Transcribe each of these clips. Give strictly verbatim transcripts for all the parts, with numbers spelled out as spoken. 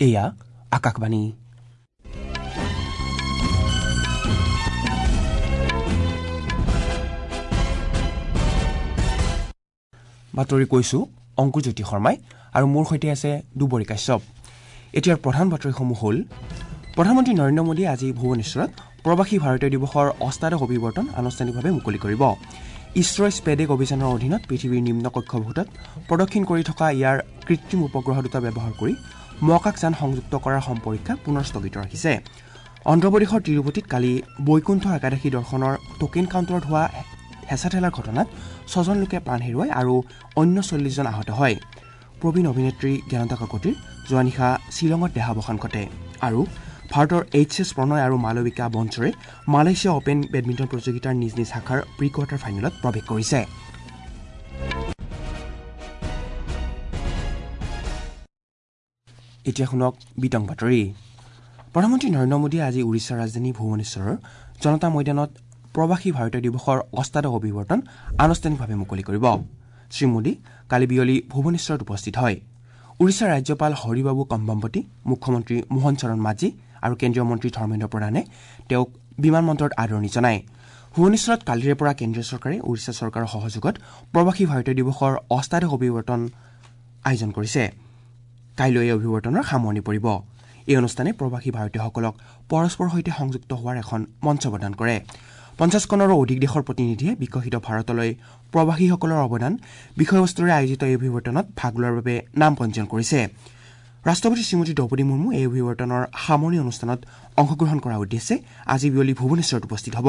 এয়া আকাশবাণী। বাতৰি কৈছো অংকুৰজ্যোতি শৰ্মাই আৰু মোৰ সৈতে আছে দুবৰী কাশ্যপ। এতিয়াৰ প্ৰধান বাতৰিসমূহ হ'ল: প্ৰধানমন্ত্ৰী নৰেন্দ্ৰ মোদীয়ে আজি ভুৱনেশ্বৰত প্ৰৱাসী ভাৰতীয় দিৱসৰ অষ্টাদশ অভিৱৰ্তন আনুষ্ঠানিকভাৱে মুকলি কৰিব। ইছৰোই স্পেডেক অভিযানৰ অধীনত পৃথিৱীৰ নিম্ন কক্ষপথত প্ৰদক্ষিণ কৰি থকা ইয়াৰ কৃত্ৰিম উপগ্ৰহ দুটা ব্যৱহাৰ কৰি মহাকাশযান সংযুক্ত কৰাৰ সম্পৰীক্ষা পুনৰ স্থগিত ৰাখিছে। অন্ধ্ৰপ্ৰদেশৰ তিৰুপতিত কালি বৈকুণ্ঠ একাদশী দৰ্শনৰ টোকেন কাউণ্টাৰত হোৱা হেঁচা ঠেলাৰ ঘটনাত ছজন লোকে প্ৰাণ হেৰুৱায় আৰু অন্য চল্লিছজন আহত হয়। প্ৰবীণ অভিনেত্ৰী জ্ঞানদা কাকতিৰ যোৱা নিশা শ্বিলঙত দেহাৱসান ঘটে। আৰু ভাৰতৰ এইচ এছ প্ৰণয় আৰু মালবিকা বনচৰে মালয়েছিয়া অপেন বেডমিণ্টন প্ৰতিযোগিতাৰ নিজ নিজ শাখাৰ প্ৰি কোৱাৰ্টাৰ ফাইনেলত প্ৰৱেশ কৰিছে। এতিয়া শুনক বিতং বাতৰি। প্ৰধানমন্ত্ৰী নৰেন্দ্ৰ মোদীয়ে আজি উৰিষ্যাৰ ৰাজধানী ভুৱনেশ্বৰৰ জনতা ময়দানত প্ৰৱাসী ভাৰতীয় দিৱসৰ অষ্টাদশ অভিৱৰ্তন আনুষ্ঠানিকভাৱে মুকলি কৰিব। শ্ৰীমোদী কালি বিয়লি ভুৱনেশ্বৰত উপস্থিত হয়। উৰিষ্যাৰ ৰাজ্যপাল হৰিবাবু কম্বাম্পতি, মুখ্যমন্ত্ৰী মোহন চৰণ মাঝি আৰু কেন্দ্ৰীয় মন্ত্ৰী ধৰ্মেন্দ্ৰ প্ৰধানে তেওঁক বিমানবন্দৰত আদৰণি জনায়। ভুৱনেশ্বৰত কালিৰে পৰা কেন্দ্ৰীয় চৰকাৰে উৰিষ্যা চৰকাৰৰ সহযোগত প্ৰৱাসী ভাৰতীয় দিৱসৰ অষ্টাদশ অভিৱৰ্তন আয়োজন কৰিছে। কাইলৈ এই অভিৱৰ্তনৰ সামৰণি পৰিব। এই অনুষ্ঠানে প্ৰৱাসী ভাৰতীয়সকলক পৰস্পৰৰ সৈতে সংযুক্ত হোৱাৰ এখন মঞ্চ প্ৰদান কৰে। পঞ্চাছখনৰো অধিক দেশৰ প্ৰতিনিধিয়ে বিকশিত ভাৰতলৈ প্ৰৱাসীসকলৰ অৱদান বিষয়বস্তুৰে আয়োজিত এই অভিৱৰ্তনত ভাগ লোৱাৰ বাবে নাম পঞ্জীয়ন কৰিছে। ৰাষ্ট্ৰপতি শ্ৰীমতী দ্ৰৌপদী মুৰ্মু এই অভিৱৰ্তনৰ সামৰণি অনুষ্ঠানত অংশগ্ৰহণ কৰাৰ উদ্দেশ্যে আজি বিয়লি ভুৱনেশ্বৰত উপস্থিত হ'ব।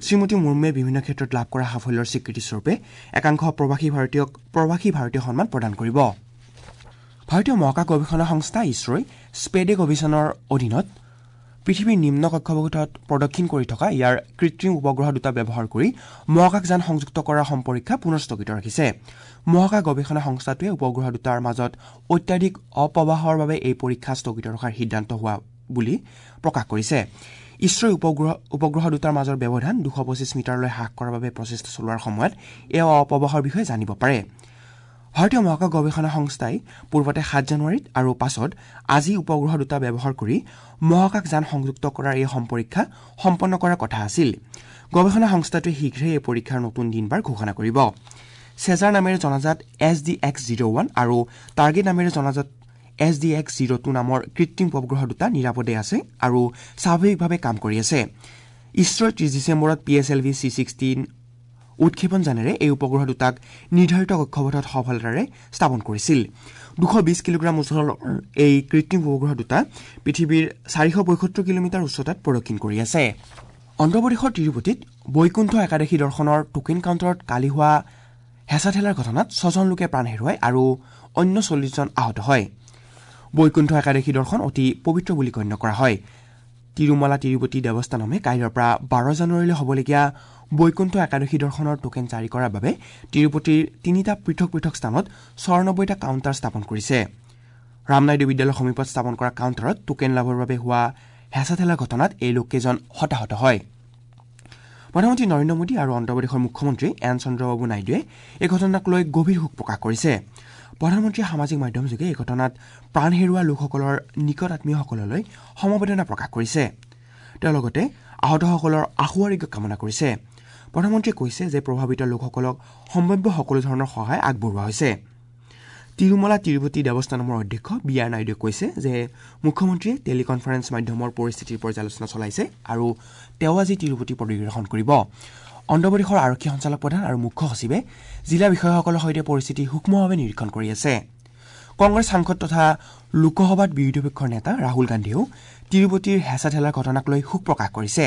শ্ৰীমতী মুৰ্মুৱে বিভিন্ন ক্ষেত্ৰত লাভ কৰা সাফল্যৰ স্বীকৃতিস্বৰূপে একাংশ প্ৰৱাসী ভাৰতীয়ক প্ৰৱাসী ভাৰতীয় সন্মান প্ৰদান কৰিব। ভাৰতীয় মহাকাশ গৱেষণা সংস্থা ইছৰোই স্পেডেক অভিযানৰ অধীনত পৃথিৱীৰ নিম্ন কক্ষপথত প্ৰদক্ষিণ কৰি থকা ইয়াৰ কৃত্ৰিম উপগ্ৰহ দুটা ব্যৱহাৰ কৰি মহাকাশযান সংযুক্ত কৰাৰ সম্পৰীক্ষা পুনৰ স্থগিত ৰাখিছে। মহাকাশ গৱেষণা সংস্থাটোৱে উপগ্ৰহ দুটাৰ মাজত অত্যাধিক অপ্ৰবাহৰ বাবে এই পৰীক্ষা স্থগিত ৰখাৰ সিদ্ধান্ত হোৱা বুলি প্ৰকাশ কৰিছে। ইছৰোই উপগ্ৰহ উপগ্ৰহ দুটাৰ মাজৰ ব্যৱধান দুশ পঁচিছ মিটাৰলৈ হ্ৰাস কৰাৰ বাবে প্ৰচেষ্টা চলোৱাৰ সময়ত এই অপ্ৰবাহৰ বিষয়ে জানিব পাৰে। ভাৰতীয় মহাকাশ গৱেষণা সংস্থাই পূৰ্বতে সাত জানুৱাৰীত আৰু পাছত আজি উপগ্ৰহ দুটা ব্যৱহাৰ কৰি মহাকাশযান সংযুক্ত কৰাৰ এই সম্পৰীক্ষা সম্পন্ন কৰাৰ কথা আছিল। গৱেষণা সংস্থাটোৱে শীঘ্ৰেই এই পৰীক্ষাৰ নতুন দিনবাৰ ঘোষণা কৰিব। চেজাৰ নামেৰে জনাজাত S D X zero one আৰু টাৰ্গেট নামেৰে জনাজাত S D X zero two নামৰ কৃত্ৰিম উপগ্ৰহ দুটা নিৰাপদে আছে আৰু স্বাভাৱিকভাৱে কাম কৰি আছে। ইছৰোই ত্ৰিছ ডিচেম্বৰত P S L V C sixteen উৎক্ষেপণ যানেৰে এই উপগ্ৰহ দুটাক নিৰ্ধাৰিত কক্ষপথত সফলতাৰে স্থাপন কৰিছিল। দুশ বিশ কিলোগ্ৰাম ওজনৰ এই কৃত্ৰিম উপগ্ৰহ দুটা পৃথিৱীৰ চাৰিশ পঁয়সত্তৰ কিলোমিটাৰ উচ্চতাত প্ৰদক্ষিণ কৰি আছে। অন্ধ্ৰপ্ৰদেশৰ তিৰুপতিত বৈকুণ্ঠ একাদশী দৰ্শনৰ টোকেন কাউণ্টাৰত কালি হোৱা হেঁচা ঠেলাৰ ঘটনাত ছজন লোকে প্ৰাণ হেৰুৱায় আৰু অন্য চল্লিছজন আহত হয়। বৈকুণ্ঠ একাদশী দৰ্শন অতি পবিত্ৰ বুলি গণ্য কৰা হয়। তিৰুমালা তিৰুপতি দেৱস্থানমে কাইলৈৰ পৰা বাৰ জানুৱাৰীলৈ হ'বলগীয়া বৈকুণ্ঠ একাদশী দৰ্শনৰ টোকেন জাৰি কৰাৰ বাবে তিৰুপতিৰ তিনিটা পৃথক পৃথক স্থানত চৌৰানব্বৈটা কাউণ্টাৰ স্থাপন কৰিছে। ৰামনাইডু বিদ্যালয়ৰ সমীপত স্থাপন কৰা কাউণ্টাৰত টোকেন লাভৰ বাবে হোৱা হেঁচা ঠেলাৰ ঘটনাত এই লোককেইজন হতাহত হয়। প্ৰধানমন্ত্ৰী নৰেন্দ্ৰ মোদী আৰু অন্ধ্ৰপ্ৰদেশৰ মুখ্যমন্ত্ৰী এন চন্দ্ৰবাবু নাইডুৱে এই ঘটনাক লৈ গভীৰ শোক প্ৰকাশ কৰিছে। প্ৰধানমন্ত্ৰীয়ে সামাজিক মাধ্যমযোগে এই ঘটনাত প্ৰাণ হেৰুওৱা লোকসকলৰ নিকট আত্মীয়সকললৈ সমবেদনা প্ৰকাশ কৰিছে। তেওঁ লগতে আহতসকলৰ আশু আৰোগ্য কামনা কৰিছে। প্ৰধানমন্ত্ৰীয়ে কৈছে যে প্ৰভাৱিত লোকসকলক সম্ভাৱ্য সকলো ধৰণৰ সহায় আগবঢ়োৱা হৈছে। তিৰুমলা তিৰুপতি দেৱস্থানমৰ অধ্যক্ষ বি আৰ নাইডুৱে কৈছে যে মুখ্যমন্ত্ৰীয়ে টেলিকনফাৰেন্স মাধ্যমৰ পৰিস্থিতিৰ পৰ্যালোচনা চলাইছে আৰু তেওঁ আজি তিৰুপতি পৰিদৰ্শন কৰিব। অন্ধ্ৰপ্ৰদেশৰ আৰক্ষী সঞ্চালক প্ৰধান আৰু মুখ্য সচিবে জিলা বিষয়াসকলৰ সৈতে পৰিস্থিতি সূক্ষ্মভাৱে নিৰীক্ষণ কৰি আছে। কংগ্ৰেছ সাংসদ তথা লোকসভাত বিৰোধী পক্ষৰ নেতা ৰাহুল গান্ধীয়েও তিৰুপতিৰ হেঁচা ঠেলাৰ ঘটনাক লৈ শোক প্ৰকাশ কৰিছে।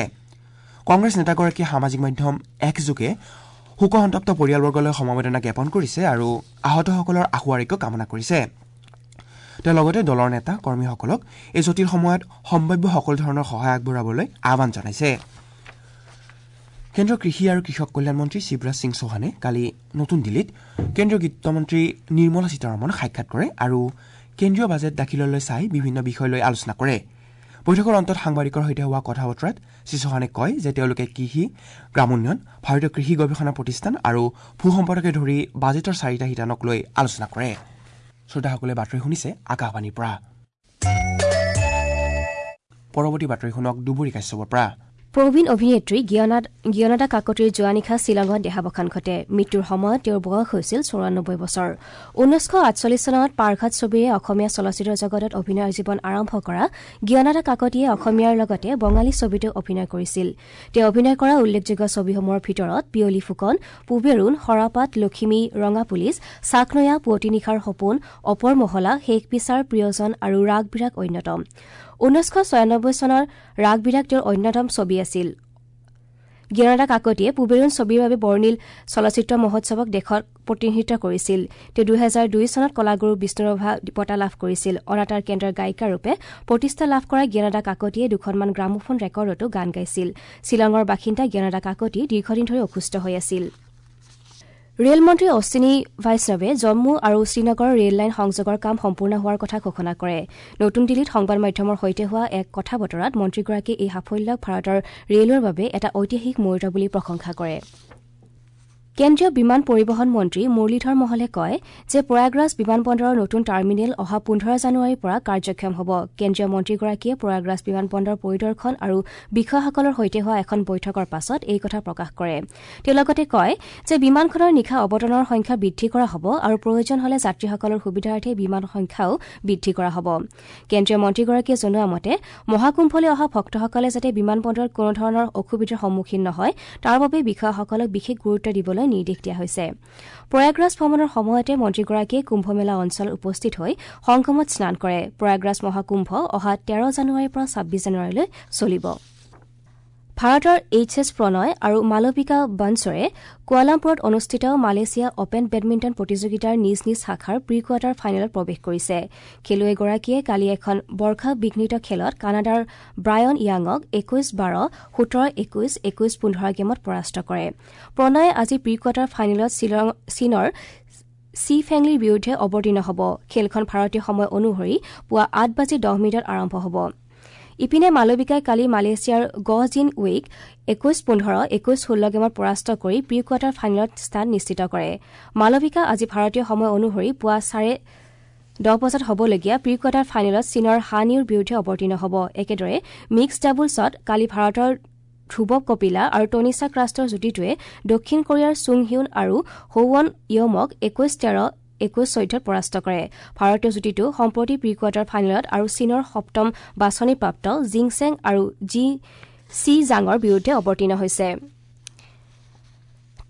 কংগ্ৰেছ নেতাগৰাকীয়ে সামাজিক মাধ্যম এক্সযোগে শোকসন্তপ্ত পৰিয়ালবৰ্গলৈ সমবেদনা জ্ঞাপন কৰিছে আৰু আহতসকলৰ আশু আৰোগ্য কামনা কৰিছে। তেওঁ লগতে দলৰ নেতা কৰ্মীসকলক এই জটিল সময়ত সম্ভাৱ্য সকলো ধৰণৰ সহায় আগবঢ়াবলৈ আহ্বান জনাইছে। কেন্দ্ৰীয় কৃষি আৰু কৃষক কল্যাণ মন্ত্ৰী শিৱৰাজ সিং চৌহানে কালি নতুন দিল্লীত কেন্দ্ৰীয় বিত্তমন্ত্ৰী নিৰ্মলা সীতাৰমণক সাক্ষাৎ কৰে আৰু কেন্দ্ৰীয় বাজেট দাখিললৈ চাই বিভিন্ন বিষয় লৈ আলোচনা কৰে। বৈঠকৰ অন্তত সাংবাদিকৰ সৈতে হোৱা কথা বতৰাত শ্ৰী চৌহানে কয় যে তেওঁলোকে কৃষি, গ্ৰামোন্নয়ন, ভাৰতীয় কৃষি গৱেষণা প্ৰতিষ্ঠান আৰু ভূ সম্পদকে ধৰি বাজেটৰ চাৰিটা শিতানক লৈ আলোচনা কৰে। শ্ৰোতাসকলে বাতৰি শুনিছে আকাশবাণীৰ পৰা। পৰৱৰ্তী বাতৰি শুনক দুবৰি কাশ্যপৰ পৰা। প্ৰবীণ অভিনেত্ৰী জ্ঞানদা কাকতিৰ যোৱা নিশা শ্বিলঙত দেহাৱসান ঘটে। মৃত্যুৰ সময়ত তেওঁৰ বয়স হৈছিল চৌৰানব্বৈ বছৰ। ঊনৈছশ আঠচল্লিছ চনত পাৰঘাট ছবিৰে অসমীয়া চলচ্চিত্ৰ জগতত অভিনয়ৰ জীৱন আৰম্ভ কৰা জ্ঞানদা কাকতিয়ে অসমীয়াৰ লগতে বঙালী ছবিতো অভিনয় কৰিছিল। তেওঁ অভিনয় কৰা উল্লেখযোগ্য ছবিসমূহৰ ভিতৰত পিয়লি ফুকন, পুবেৰুণ, সৰাপাত, লখিমী, ৰঙা পুলিচ, চাকনৈয়া, পুৱতি নিশাৰ সপোন, অপৰ মহলা, শেষ বিচাৰ, প্ৰিয়জন আৰু ৰাগ বিৰাগ অন্যতম। ঊনৈছশ ছয়ানব্বৈ চনৰ ৰাগ বিৰাগ তেওঁৰ অন্যতম ছবি আছিল। জ্ঞানদা কাকতিয়ে পুবেৰুণ ছবিৰ বাবে বৰ্ণিল চলচ্চিত্ৰ মহোৎসৱক দেশত প্ৰতিনিধিত্ব কৰিছিল। তেওঁ দুহেজাৰ দুই চনত কলাগুৰু বিষ্ণুৰাভা বঁটা লাভ কৰিছিল। অনাতাঁৰ কেন্দ্ৰৰ গায়িকাৰূপে প্ৰতিষ্ঠা লাভ কৰা জ্ঞানদা কাকতিয়ে দুখনমান গ্ৰামোফোন ৰেকৰ্ডতো গান গাইছিল। শ্বিলঙৰ বাসিন্দা জ্ঞানদা কাকতি দীৰ্ঘদিন ধৰি অসুস্থ হৈ আছিল। ৰেল মন্ত্ৰী অশ্বিনী বৈষ্ণৱে জম্মু আৰু শ্ৰীনগৰৰ ৰেল লাইন সংযোগৰ কাম সম্পূৰ্ণ হোৱাৰ কথা ঘোষণা কৰে। নতুন দিল্লীত সংবাদ মাধ্যমৰ সৈতে হোৱা এক কথা বতৰাত মন্ত্ৰীগৰাকীয়ে এই সাফল্যক ভাৰতৰ ৰেলৱেৰ বাবে এটা ঐতিহাসিক মুহূৰ্ত বুলি প্ৰশংসা কৰে। কেন্দ্ৰীয় বিমান পৰিবহণ মন্ত্ৰী মুৰলীধৰ মহলে কয় যে প্ৰয়াগৰাজ বিমানবন্দৰৰ নতুন টাৰ্মিনেল অহা পোন্ধৰ জানুৱাৰীৰ পৰা কাৰ্যক্ষম হ'ব। কেন্দ্ৰীয় মন্ত্ৰীগৰাকীয়ে প্ৰয়াগৰাজ বিমানবন্দৰ পৰিদৰ্শন আৰু বিষয়াসকলৰ সৈতে হোৱা এখন বৈঠকৰ পাছত এই কথা প্ৰকাশ কৰে। তেওঁ লগতে কয় যে বিমানখনৰ নিশা অৱতৰণৰ সংখ্যা বৃদ্ধি কৰা হ'ব আৰু প্ৰয়োজন হ'লে যাত্ৰীসকলৰ সুবিধাৰ্থে বিমান সংখ্যাও বৃদ্ধি কৰা হ'ব। কেন্দ্ৰীয় মন্ত্ৰীগৰাকীয়ে জনোৱা মতে মহাকুম্ভলৈ অহা ভক্তসকলে যাতে বিমানবন্দৰত কোনো ধৰণৰ অসুবিধাৰ সন্মুখীন নহয় তাৰ বাবে বিষয়াসকলক বিশেষ গুৰুত্ব দিবলৈ নিৰ্দেশ দিয়া হৈছে। প্ৰয়াগৰাজ ভ্ৰমণৰ সময়তে মন্ত্ৰীগৰাকীয়ে কুম্ভমেলা অঞ্চলত উপস্থিত হৈ সংগমত স্নান কৰে। প্ৰয়াগৰাজ মহাকুম্ভ অহা তেৰ জানুৱাৰীৰ পৰা ছাব্বিছ জানুৱাৰীলৈ চলিব। ভাৰতৰ এইচ এছ প্ৰণয় আৰু মালবিকা বানছৰে কুৱালামপুৰত অনুষ্ঠিত মালয়েছিয়া অপেন বেডমিণ্টন প্ৰতিযোগিতাৰ নিজ নিজ শাখাৰ প্ৰি কোৱাৰ্টাৰ ফাইনেলত প্ৰৱেশ কৰিছে। খেলুৱৈগৰাকীয়ে কালি এখন বৰ্ষা বিঘ্নিত খেলত কানাডাৰ ব্ৰায়ন য়াঙক একৈশ বাৰ, সোতৰ একৈশ, একৈশ পোন্ধৰ গেমত পৰাস্ত কৰে। প্ৰণয়ে আজি প্ৰি কোৱাৰ্টাৰ ফাইনেলত চীনৰ চি ফেংলিৰ বিৰুদ্ধে অৱতীৰ্ণ হ'ব। খেলখন ভাৰতীয় সময় অনুসৰি পুৱা আঠ বাজি দহ মিনিটত আৰম্ভ হ'ব। ইপিনে মালবিকাই কালি মালয়েছিয়াৰ গহ জিন ৱেইক একৈশ পোন্ধৰ, একৈশ ষোল্ল গেমত পৰাস্ত কৰি প্ৰি কোৱাৰ্টাৰ ফাইনেলত স্থান নিশ্চিত কৰে। মালবিকা আজি ভাৰতীয় সময় অনুসৰি পুৱা চাৰে দহ বজাত হ'বলগীয়া প্ৰি কোৱাৰ্টাৰ ফাইনেলত চীনৰ হান ইউৰ বিৰুদ্ধে অৱতীৰ্ণ হ'ব। একেদৰে মিক্সড ডাবলছত কালি ভাৰতৰ ধ্ৰুৱ কপিলা আৰু টনিছা ক্ৰাষ্টৰ যুটিটোৱে দক্ষিণ কোৰিয়াৰ চুং হিউন আৰু হৌৱন য়মক একৈশ তেৰ, একৈশ চৈধ্যত পৰাস্ত কৰে। ভাৰতীয় যুটিটো সম্প্ৰতি প্ৰি কোৱাৰ্টাৰ ফাইনেলত আৰু চীনৰ সপ্তম বাছনিপ্ৰাপ্ত জিংচেং আৰু জি চি জাঙৰ বিৰুদ্ধে অৱতীৰ্ণ হৈছে।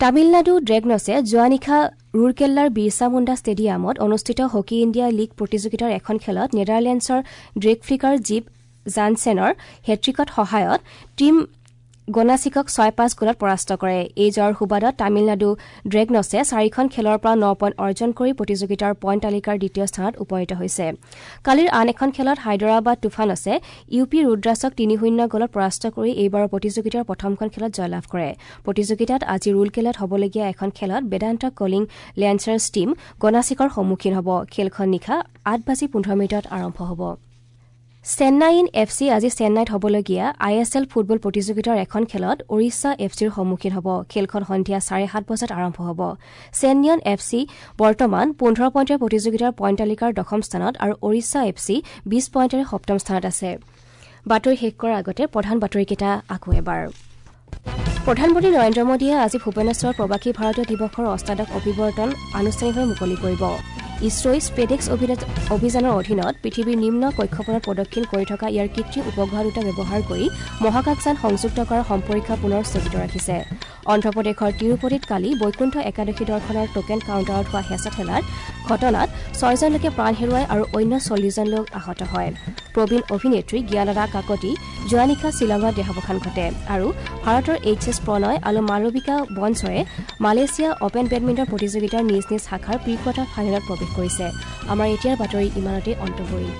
তামিলনাডু ড্ৰেগনছে যোৱা নিশা ৰুৰকেল্লাৰ বিৰছা মুণ্ডা ষ্টেডিয়ামত অনুষ্ঠিত হকী ইণ্ডিয়া লীগ প্ৰতিযোগিতাৰ এখন খেলত নেডাৰলেণ্ডছৰ ড্ৰেগফ্লিকাৰ জীপ জানছেনৰ হেট্ৰিকত সহায়ত টীম গনাচিকক ছয় পাঁচ গ'লত পৰাস্ত কৰে। এই জয়ৰ সুবাদত তামিলনাডু ড্ৰেগনছে চাৰিখন খেলৰ পৰা ন পইণ্ট অৰ্জন কৰি প্ৰতিযোগিতাৰ পইণ্ট তালিকাৰ দ্বিতীয় স্থানত উপনীত হৈছে। কালিৰ আন এখন খেলত হায়দৰাবাদ তুফানছে ইউ পি ৰুদ্ৰাছক তিনি শূন্য গ'লত পৰাস্ত কৰি এইবাৰৰ প্ৰতিযোগিতাৰ প্ৰথমখন খেলত জয়লাভ কৰে। প্ৰতিযোগিতাত আজি ৰুৰকেলাত হ'বলগীয়া এখন খেলত বেদান্ত কলিং লেন্সাৰ্ছ টীম গনাচিকৰ সন্মুখীন হ'ব। খেলখন নিশা আঠ বাজি পোন্ধৰ মিনিটত আৰম্ভ হ'ব। চেন্নাইইন এফ চি আজি চেন্নাইত হ'বলগীয়া I S L football প্ৰতিযোগিতাৰ এখন খেলত ওড়িশা এফ চিৰ সন্মুখীন হ'ব। খেলখন সন্ধিয়া চাৰে সাত বজাত আৰম্ভ হ'ব। চেন্নাইয়ন এফ চি বৰ্তমান পোন্ধৰ পইণ্টৰ প্ৰতিযোগিতাৰ পইণ্ট তালিকাৰ দশম স্থানত আৰু ওড়িশা এফ চি বিশ পইণ্টেৰে সপ্তম স্থানত আছে। বাতৰি শেষ কৰাৰ আগতে প্ৰধান বাতৰিকেইটা আকৌ এবাৰ। প্ৰধানমন্ত্ৰী নৰেন্দ্ৰ মোদীয়ে আজি ভুৱনেশ্বৰত প্ৰৱাসী ভাৰতীয় দিৱসৰ অষ্টাদশ অভিৱৰ্তন আনুষ্ঠানিকভাৱে মুকলি কৰিব। ইছৰোই স্পেডেক্স অভিযানৰ অধীনত পৃথিৱীৰ নিম্ন কক্ষপথত প্ৰদক্ষিণ কৰি থকা ইয়াৰ কৃত্ৰিম উপগ্ৰহ দুটা ব্যৱহাৰ কৰি মহাকাশযান সংযুক্ত কৰাৰ সম্পৰীক্ষা পুনৰ স্থগিত ৰাখিছে। অন্ধ্ৰপ্ৰদেশৰ তিৰুপতিত কালি বৈকুণ্ঠ একাদশী দৰ্শনৰ টোকেন কাউণ্টাৰত হোৱা হেঁচা ঠেলাৰ ঘটনাত ছয়জন লোকে প্ৰাণ হেৰুৱায় আৰু অন্য চল্লিছজন লোক আহত হয়। প্ৰবীণ অভিনেত্ৰী জ্ঞানদা কাকতি যোৱা নিশা শ্বিলঙত দেহাৱসান ঘটে আৰু ভাৰতৰ এইচ এছ প্ৰণয় আৰু মালবিকা বনছৰে মালয়েছিয়া অপেন বেডমিণ্টন প্ৰতিযোগিতাৰ নিজ নিজ শাখাৰ প্ৰি কোৱাৰ্টাৰ ফাইনেলত প্ৰৱেশ কৰিছে। আমাৰ এতিয়াৰ বাতৰি ইমানতে অন্ত পৰিল।